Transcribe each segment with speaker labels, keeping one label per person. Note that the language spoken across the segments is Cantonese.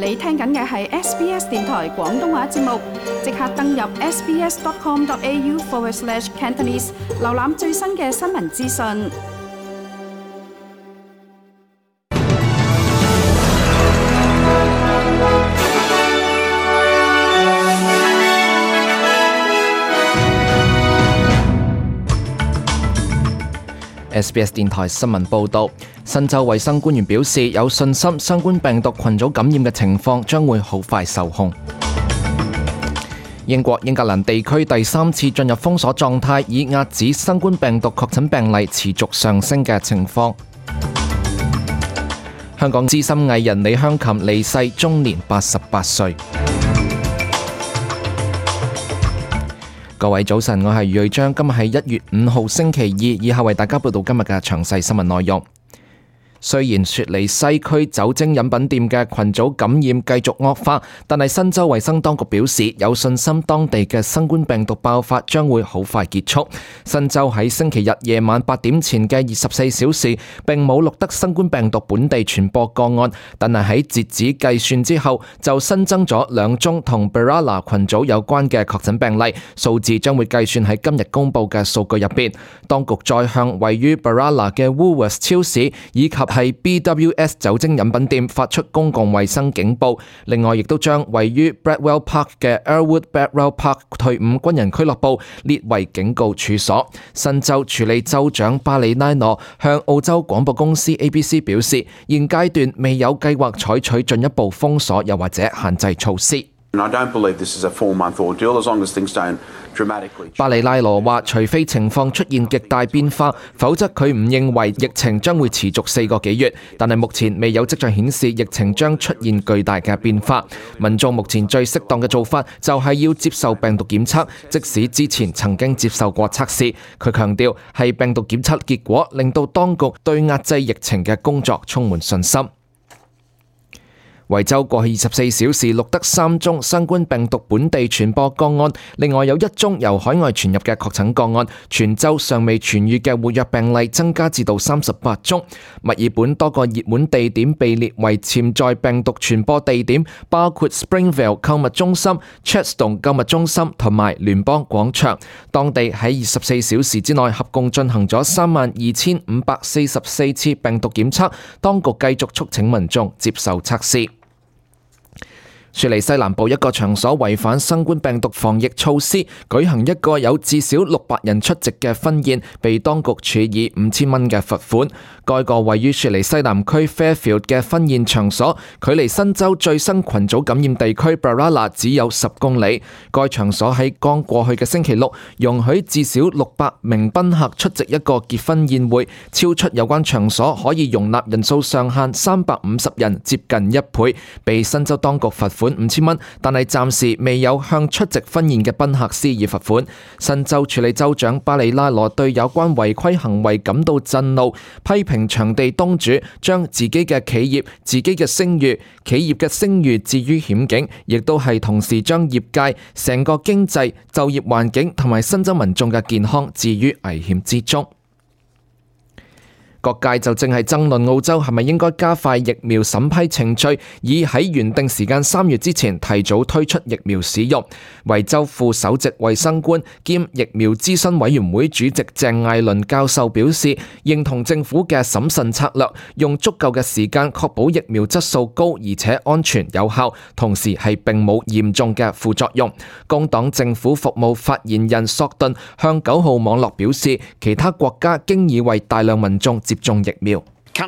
Speaker 1: 你聽緊嘅係 SBS 電台廣東話節目，即刻登入 sbs.com.au/Cantonese 瀏覽最新嘅新聞資訊。
Speaker 2: SBS 電台新聞報導，新州衛生官員表示有信心新冠病毒群組感染嘅情況將會好快受控。英國英格蘭地區第3次進入封鎖狀態，以遏止新冠病毒確診病例持續上升嘅情況。香港資深藝人李香琴離世，終年88歲。各位早晨，我係余瑞章，今日係1月5號星期二，以下為大家報道今日嘅詳細新聞內容。雖然雪梨西區酒精飲品店嘅群組感染繼續惡化，但係新州衛生當局表示有信心當地嘅新冠病毒爆發將會好快結束。新州喺星期日夜晚8點前嘅24小時並冇錄得新冠病毒本地傳播個案，但係喺截止計算之後就新增咗2宗同 Berala 群組有關嘅確診病例，數字將會計算喺今日公佈嘅數據入邊。當局再向位於 Berala 嘅 Woolworths 超市以及係 BWS 酒精飲品店發出公共衛生警報，另外亦都將位於 Bradwell Park 嘅 Earlwood Bradwell Park 退伍軍人俱樂部列為警告處所。新州處理州長巴里拉羅向澳洲廣播公司 ABC 表示，現階段未有計劃採取進一步封鎖又或者限制措施。巴里拉羅話，除非情況出現極大變化，否則佢唔認為疫情將會持續4個幾月。但係目前未有跡象顯示疫情將出現巨大嘅變化。民眾目前最適當嘅做法就係要接受病毒檢測，即使之前曾經接受過測試。佢強調係病毒檢測結果令到當局對壓制疫情嘅工作充滿信心。維州過去24小時錄得3宗新冠病毒本地傳播個案，另外有1宗由海外傳入嘅確診個案。全州尚未痊癒嘅活躍病例增加至到38宗。墨爾本多個熱門地點被列為潛在病毒傳播地點，包括 Springvale 購物中心、Chadstone 購物中心同埋聯邦廣場。當地喺24小時之內合共進行咗32,544次病毒檢測，當局繼續促請民眾接受測試。雪梨西南部一個場所違反新冠病毒防疫措施，舉行一個有至少600人出席嘅婚宴，被當局處以5000蚊嘅罰款。該個位於雪梨西南區 Fairfield 嘅婚宴場所，距離新州最新群組感染地區 Berala 只有10公里。該場所喺剛過去嘅星期六容許至少600名賓客出席一個結婚宴會，超出有關場所可以容納人數上限350人，接近1倍，被新州當局罰款5000蚊，但係暫時未有向出席婚宴嘅賓客施以罰款。新州處理州長巴里拉羅對有關違規行為感到震怒，批評場地東主將自己嘅企業、自己嘅聲譽、企業嘅聲譽置於險境，亦都係同時將業界、成個經濟、就業環境同埋新州民眾嘅健康置於危險之中。各界就正係爭論澳洲係咪應該加快疫苗審批程序，以喺原定時間3月之前提早推出疫苗使用。維州副首席衛生官兼疫苗諮詢委員會主席鄭艾倫教授表示，認同政府嘅審慎策略，用足夠嘅時間確保疫苗質素高而且安全有效，同時係並冇嚴重嘅副作用。工黨政府服務發言人索頓向9號網絡表示，其他國家經已為大量民眾接種疫苗。索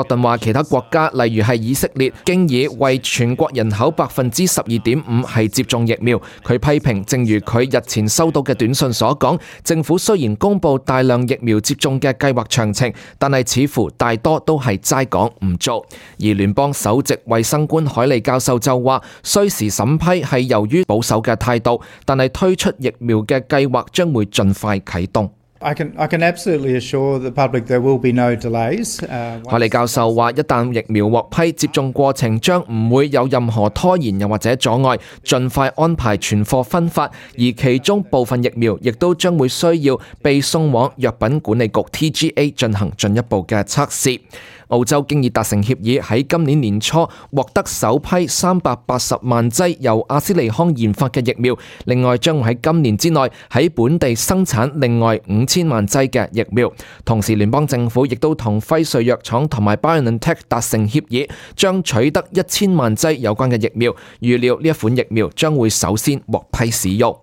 Speaker 2: 頓話，其他國家例如係以色列，經已為全國人口12.5%係接種疫苗。佢批評，正如佢日前收到嘅短信所講，政府雖然公布大量疫苗接種嘅計劃詳情，但係似乎大多都係齋講唔做。而聯邦首席衛生官海利教授就話，需時審批係由於保守嘅態度，但係推出疫苗嘅計劃將會盡快啟動。
Speaker 3: I can absolutely assure the public there will be no delays.
Speaker 2: 海利教授話，一旦疫苗獲批，接種過程將唔會有任何拖延又或者阻礙，盡快安排存貨分發，而其中部分疫苗亦都將會需要被送往藥品管理局 TGA 進行進一步嘅測試。澳洲經已達成協議，喺今年年初獲得首批380萬劑由阿斯利康研發嘅疫苗，另外將會喺今年之內喺本地生產另外5000萬劑嘅疫苗。同時聯邦政府亦都同輝瑞藥廠同埋 BioNTech 達成協議，將取得1000萬劑有關嘅疫苗，預料呢一款疫苗將會首先獲批使用。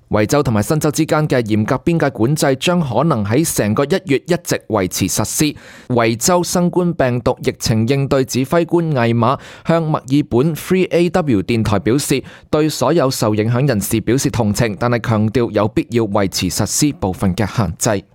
Speaker 2: 維州同埋新州之間嘅嚴格邊界管制將可能喺成個1月一直維持實施。維州新冠病毒疫情應對指揮官魏馬向墨爾本 3AW 電台表示，對所有受影響人士表示同情，但係強調有必要維持實施部分嘅限制。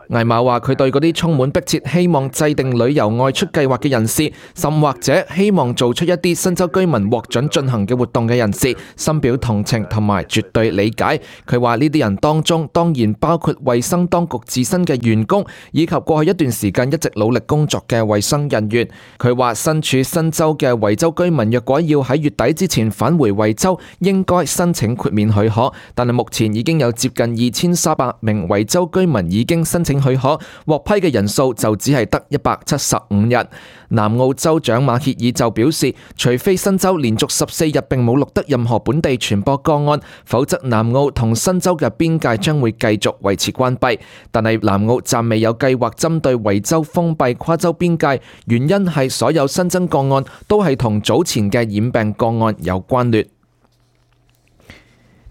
Speaker 2: 魏馬話：佢對嗰啲充滿迫切希望制定旅遊外出計劃嘅人士，甚或者希望做出一啲新州居民獲准進行嘅活動嘅人士，深表同情同埋絕對理解。佢話呢啲人當中當然包括衛生當局自身嘅員工，以及過去一段時間一直努力工作嘅衛生人員。佢話身處新州嘅維州居民若果要喺月底之前返回維州，應該申請豁免許可，但係目前已經有接近2300名維州居民已經申請許可，獲批嘅人數就只係得175人。南澳州長馬歇爾就表示，除非新州連續14日並冇錄得任何本地傳播個案，否則南澳同新州嘅邊界將會繼續維持關閉。但係南澳暫未有計劃針對維州封閉跨州邊界，原因係所有新增個案都係同早前嘅染病個案有關聯。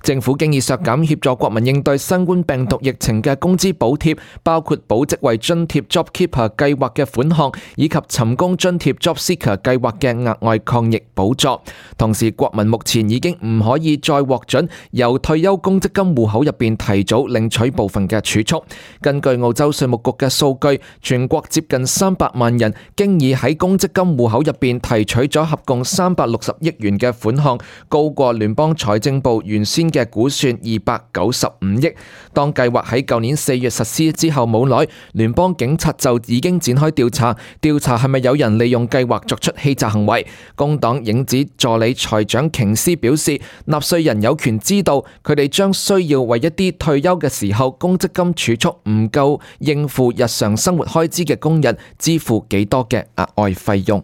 Speaker 2: 政府經已削減協助國民應對新冠病毒疫情嘅工資補貼，包括保職位津貼 JobKeeper 計劃嘅款項，以及尋工津貼 JobSeeker 計劃嘅額外抗疫補助。同時，國民目前已經唔可以再獲准由退休公積金戶口入邊提早領取部分嘅儲蓄。根據澳洲稅務局嘅數據，全國接近300萬人經已喺公積金戶口入邊提取咗合共360億元嘅款項，高過聯邦財政部原先嘅估算295億。當計劃喺舊年4月實施之後冇耐，聯邦警察就已經展開調查係咪有人利用計劃作出欺詐行為。工黨影子助理財長瓊斯表示，納稅人有權知道佢哋將需要為一啲退休嘅時候公積金儲蓄唔夠應付日常生活開支嘅工人支付幾多嘅額外費用。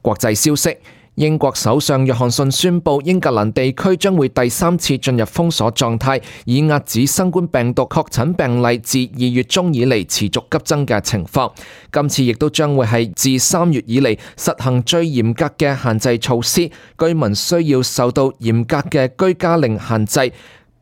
Speaker 2: 國際消息，英國首相約翰遜宣布，英格蘭地區將會第3次進入封鎖狀態，以遏止新冠病毒確診病例自2月中以嚟持續急增嘅情況。今次亦都將會係自3月以嚟實行最嚴格嘅限制措施，居民需要受到嚴格嘅居家令限制。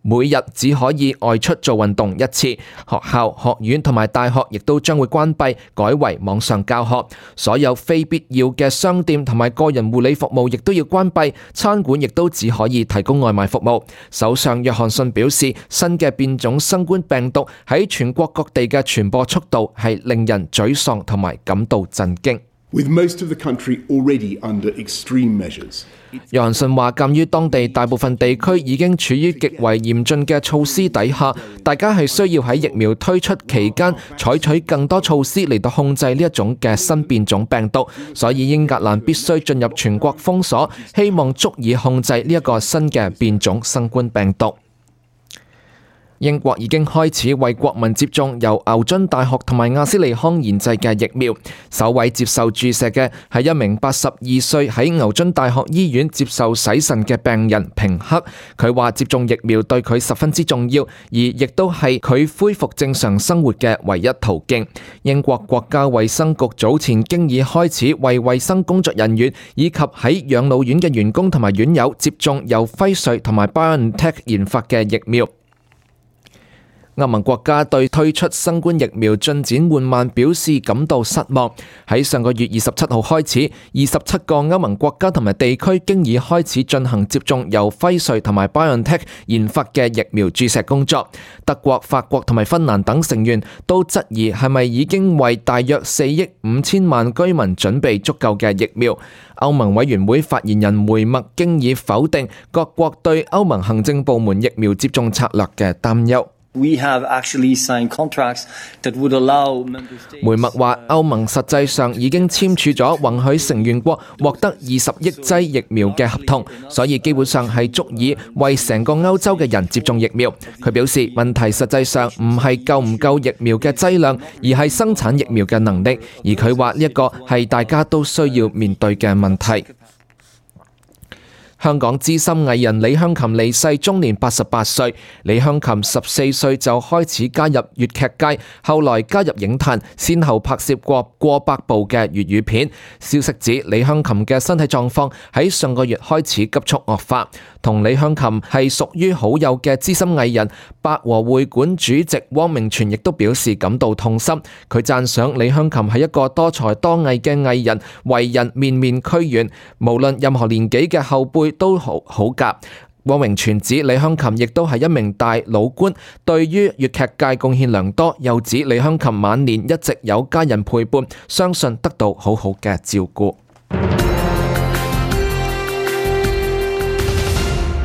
Speaker 2: 每日只可以外出做運動1次，學校、學院同埋大學亦都將會關閉，改為網上教學。所有非必要嘅商店同埋個人護理服務亦都要關閉，餐館亦都只可以提供外賣服務。首相約翰遜表示，新嘅變種新冠病毒喺全國各地嘅傳播速度係令人沮喪同埋感到震驚。
Speaker 4: With most of the country already under extreme measures.
Speaker 2: 約翰遜話，鑑於當地大部分地區已經處於極為嚴峻嘅措施底下，大家係需要喺疫苗推出期間採取更多措施嚟到控制呢一種嘅新變種病毒，所以英格蘭必須進入全國封鎖，希望足以控制呢一個新嘅變種新冠病毒。英國已經開始為國民接種由牛津大學同埋阿斯利康研製嘅疫苗。首位接受注射嘅係一名82歲喺牛津大學醫院接受洗腎嘅病人平克。佢話接種疫苗對佢十分之重要，而亦都係佢恢復正常生活嘅唯一途徑。英國國家衛生局早前經已開始為衛生工作人員以及喺養老院嘅員工同埋院友接種由輝瑞同埋 BioNTech 研發嘅疫苗。歐盟國家對推出新冠疫苗進展緩慢表示感到失望。喺上個月27號開始，27個歐盟國家同埋地區經已開始進行接種由輝瑞同埋 BioNTech 研發嘅疫苗注射工作。德國、法國同埋芬蘭等成員都質疑係咪已經為大約4億5千萬居民準備足夠嘅疫苗。歐盟委員會發言人梅默經已否定各國對歐盟行政部門疫苗接種策略嘅擔憂。梅默話：歐盟實際上已經簽署咗允許成員國獲得20億劑疫苗嘅合同，所以基本上係足以為成個歐洲嘅人接種疫苗。佢表示，問題實際上唔係夠唔夠疫苗嘅劑量，而係生產疫苗嘅能力。而佢話呢一個係大家都需要面對嘅問題。香港資深藝人李香琴離世，終年88歲。李香琴14歲就開始加入粵劇界，後來加入影壇，先後拍攝過百部嘅粵語片。消息指李香琴嘅身體狀況喺上個月開始急速惡化。同李香琴係屬於好友嘅資深藝人百和會館主席汪明荃亦都表示感到痛心。佢讚賞李香琴係一個多才多藝嘅藝人，為人面面俱圓，無論任何年紀嘅後輩都好夾。汪明荃指李香琴亦都係一名大老倌，對於粵劇界貢獻良多，又指李香琴晚年一直有家人陪伴，相信得到好好嘅照顧。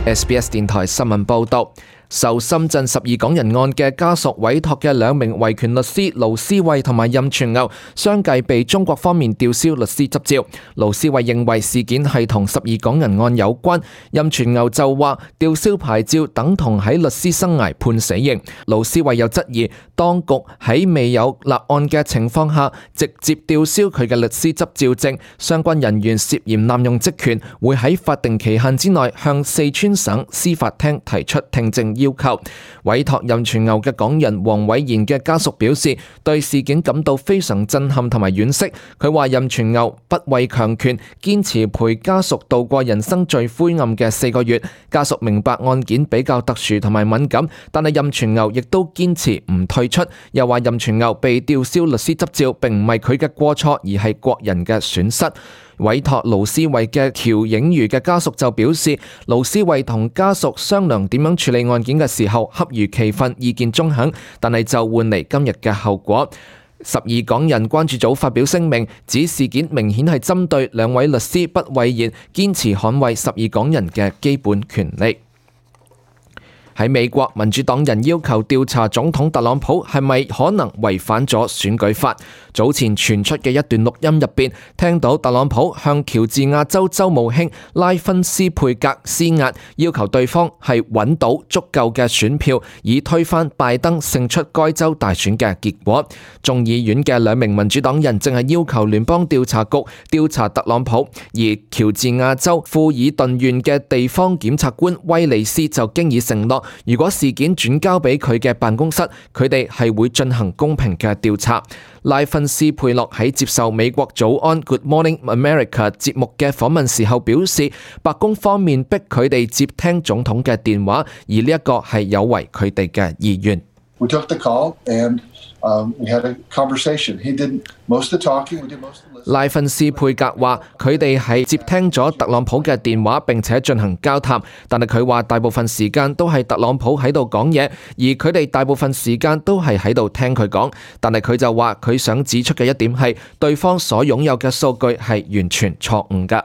Speaker 2: SBS 電台新聞報道，受深圳12港人案嘅家屬委託嘅2名維權律師盧思慧同埋任全牛相繼被中國方面吊銷律師執照。盧思慧認為事件係同12港人案有關，任全牛就話吊銷牌照等同喺律師生涯判死刑。盧思慧又質疑當局喺未有立案嘅情況下直接吊銷佢嘅律師執照證，相關人員涉嫌濫用職權，會喺法定期限之內向四川省司法廳提出聽證要求。委託任全牛嘅港人黃偉賢嘅家屬表示，對事件感到非常震撼同埋惋惜。佢話任全牛不畏強權，堅持陪家屬度過人生最灰暗嘅4個月。家屬明白案件比較特殊同埋敏感，但係任全牛亦都堅持唔退出。又話任全牛被吊銷律師執照並唔係佢嘅過錯，而係國人嘅損失。委託盧思慧嘅喬影如嘅家屬就表示，盧思慧同家屬商量點樣處理案件嘅時候恰如其分，意見中肯，但係就換嚟今日嘅後果。12港人關注組發表聲明，指事件明顯係針對2位律師不諱言，堅持捍衛12港人嘅基本權利。喺美國，民主黨人要求調查總統特朗普係咪可能違反咗選舉法。早前傳出嘅一段錄音入邊，聽到特朗普向喬治亞州州務卿拉芬斯佩格施壓，要求對方係揾到足夠嘅選票，以推翻拜登勝出該州大選嘅結果。眾議院嘅2名民主黨人正係要求聯邦調查局調查特朗普，而喬治亞州富爾頓縣嘅地方檢察官威利斯就經已承諾，如果事件轉交俾佢嘅辦公室，佢哋係會進行公平嘅調查。拉芬斯佩洛喺接受美國早安 Good Morning America 節目嘅訪問時候表示，白宮方面逼佢哋接聽總統嘅電話，而呢一個係有違佢哋嘅意願。
Speaker 5: We took the call and we had a conversation. He did most of the talking, we did most of the listening.
Speaker 2: 拉芬斯佩格話佢哋係接聽咗特朗普嘅電話並且進行交談，但係佢話大部分時間都係特朗普喺度講嘢，而佢哋大部分時間都係喺度聽佢講。但係佢就話佢想指出嘅一點係對方所擁有嘅數據係完全錯誤㗎。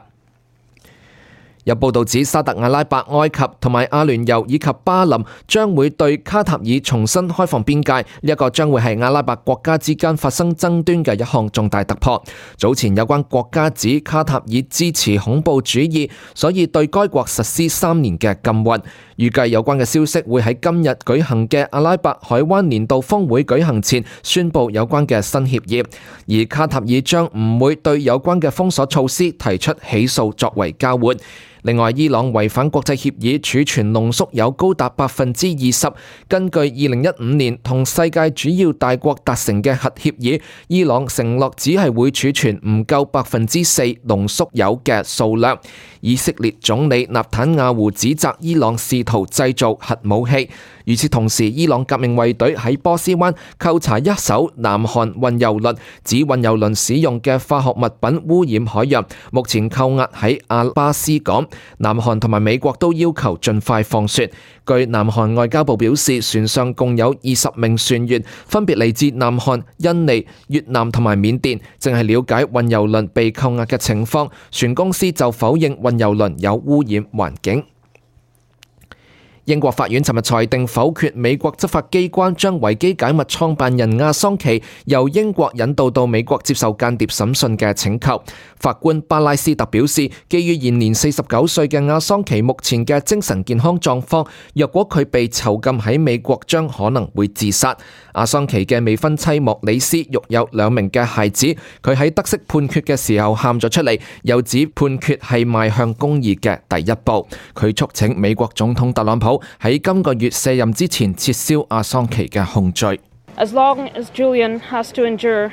Speaker 2: 有報道指沙特阿拉伯、埃及同埋阿聯酋以及巴林將會對卡塔爾重新開放邊界，呢一個將會係阿拉伯國家之間發生爭端嘅一項重大突破。早前有關國家指卡塔爾支持恐怖主義，所以對該國實施3年嘅禁運。預計有關嘅消息會喺今日舉行嘅阿拉伯海灣年度峰會舉行前宣佈有關嘅新協議，而卡塔爾將唔會對有關嘅封鎖措施提出起訴作為交換。另外，伊朗違反國際協議儲存濃縮鈾高達20%。根據2015年同世界主要大國達成嘅核協議，伊朗承諾只係會儲存唔夠4%濃縮鈾嘅數量。以色列總理納坦亞胡指責伊朗試圖製造核武器。與此同時，伊朗革命衛隊喺波斯灣扣查一艘南韓運油輪，指運油輪使用嘅化學物品污染海洋，目前扣押喺阿巴斯港。南韓同埋美國都要求盡快放船。據南韓外交部表示，船上共有20名船員，分別嚟自南韓、印尼、越南同埋緬甸，正係了解運油輪被扣押嘅情況。船公司就否認運油輪有污染環境。英國法院尋日裁定否決美國執法機關將維基解密創辦人亞桑奇由英國引渡到美國接受間諜審訊嘅請求。法官巴拉斯特表示，基於現年49歲嘅亞桑奇目前嘅精神健康狀況，若果佢被囚禁喺美國，將可能會自殺。亞桑奇嘅未婚妻莫里斯育有2名嘅孩子，佢喺得悉判決嘅時候喊咗出嚟，又指判決係邁向公義嘅第一步。佢促請美國總統特朗普喺今個月卸任之前撤銷亞桑奇嘅控罪。
Speaker 6: As long as Julian has to endure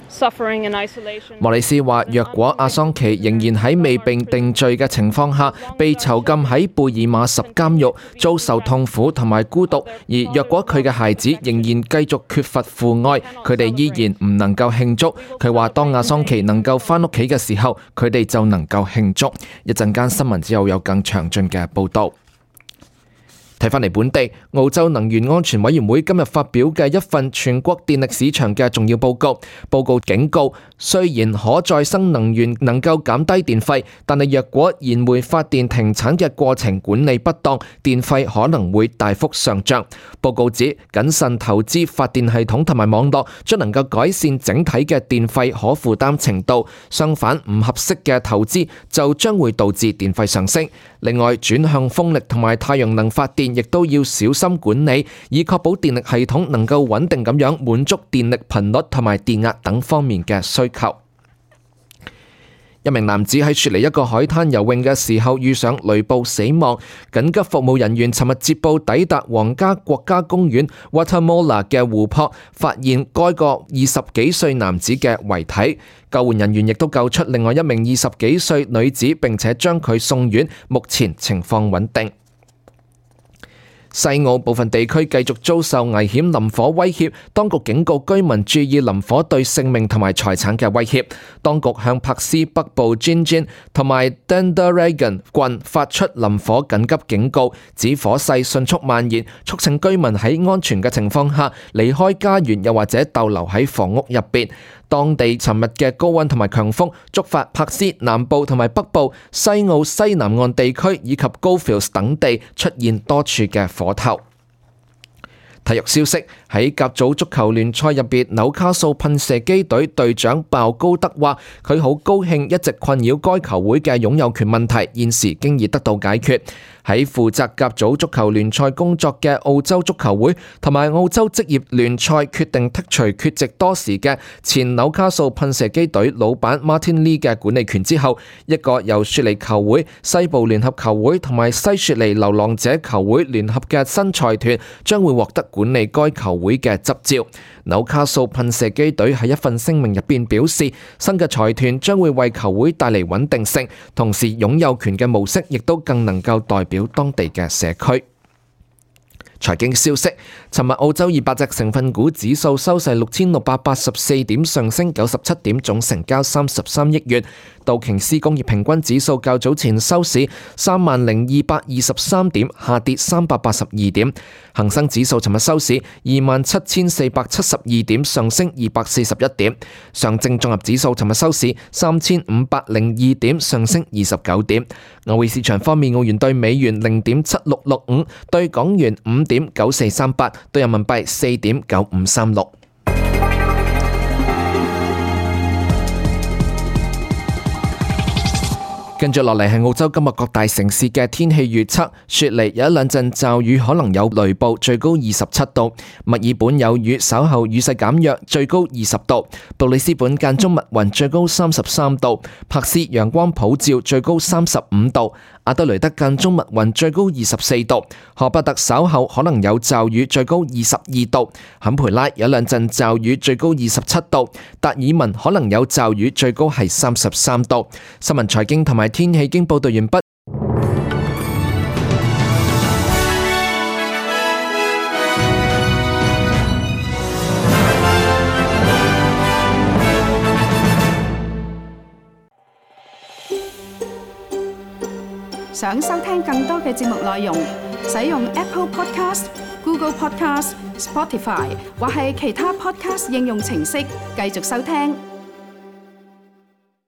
Speaker 6: suffering and isolation，
Speaker 2: 莫里斯話，若果亞桑奇仍然喺未被定罪嘅情況下被囚禁喺貝爾馬什監獄，遭受痛苦同埋孤獨，而若果佢嘅孩子仍然繼續缺乏父愛，佢哋依然唔能夠慶祝。佢話當亞桑奇能夠返屋企嘅時候，佢哋就能夠慶祝。一陣間新聞之後有更詳盡嘅報導。睇返嚟本地，澳洲能源安全委員會今日發表嘅一份全國電力市場嘅重要報告。報告警告，雖然可再生能源能夠減低電費，但係若果燃煤發電停產嘅過程管理不當，電費可能會大幅上漲。報告指，謹慎投資發電系統同埋網絡將能夠改善整體嘅電費可負擔程度，相反唔合適嘅投資就將會導致電費上升。另外，轉向風力同埋太陽能發電亦都要小心管理，以確保電力系統能夠穩定咁樣滿足電力頻率同埋電壓等方面嘅需求。一名男子喺雪梨一個海灘游泳嘅時候遇上雷暴死亡，緊急服務人員尋日接報抵達皇家國家公園 Watamola 嘅湖泊，發現該個20幾歲男子嘅遺體。救援人員亦都救出另外一名20幾歲女子，並且將佢送院，目前情況穩定。西澳部分地區繼續遭受危險林火威脅，當局警告居民注意林火對性命同埋財產嘅威脅。當局向柏斯北部 Gingin 同埋 Dandaragan 郡發出林火緊急警告，指火勢迅速蔓延，促請居民喺安全嘅情況下離開家園，又或者逗留喺房屋入邊。當地尋日嘅高溫同埋強風觸發柏斯南部同埋北部、西澳西南岸地區以及 Goldfields 等地出現多處嘅火頭。體育消息，喺甲組足球聯賽入邊，紐卡素噴射機隊隊長鮑高德話：佢好高興一直困擾該球會嘅擁有權問題，現時經已得到解決。喺負責甲組足球聯賽工作嘅澳洲足球會同埋澳洲職業聯賽決定剔除缺席多時嘅前紐卡素噴射機隊老闆 Martin Lee 嘅管理權之後，一個由雪梨球會、西部聯合球會同埋西雪梨流浪者球會聯合嘅新財團將會獲得管理該球會嘅執照。紐卡素噴射機隊喺一份聲明入邊表示，新嘅財團將會為球會帶嚟穩定性，同時擁有權嘅模式亦都更能夠代表當地嘅社區。財經消息，尋日澳洲200隻成分股指數收市6684點，上升97點，總成交33億元。道瓊斯工業平均指數較早前收市30223點，下跌382點。恒生指數尋日收市27472點，上升241點。上證綜合指數尋日收市3502點，上升29點。外匯市場方面，澳元對美元0.7665，對港元5.9438，對人民幣4.9536。跟住落嚟係澳洲今日各大城市嘅天氣預測。雪梨有一兩陣驟雨，可能有雷暴，最高27度。墨爾本有雨，稍後雨勢減弱，最高20度。布里斯本間中密雲，最高33度。珀斯陽光普照，最高35度。阿德雷德間中密雲，最高24度。荷伯特稍後可能有驟雨，最高22度。坎培拉有兩陣驟雨，最高27度。達爾文可能有驟雨，最高係33度。新聞財經同埋天氣經報道完畢。
Speaker 1: 想收聽更多嘅節目內容，使用 Apple Podcast、Google Podcast、Spotify 或係其他 Podcast 應用程式繼續收聽。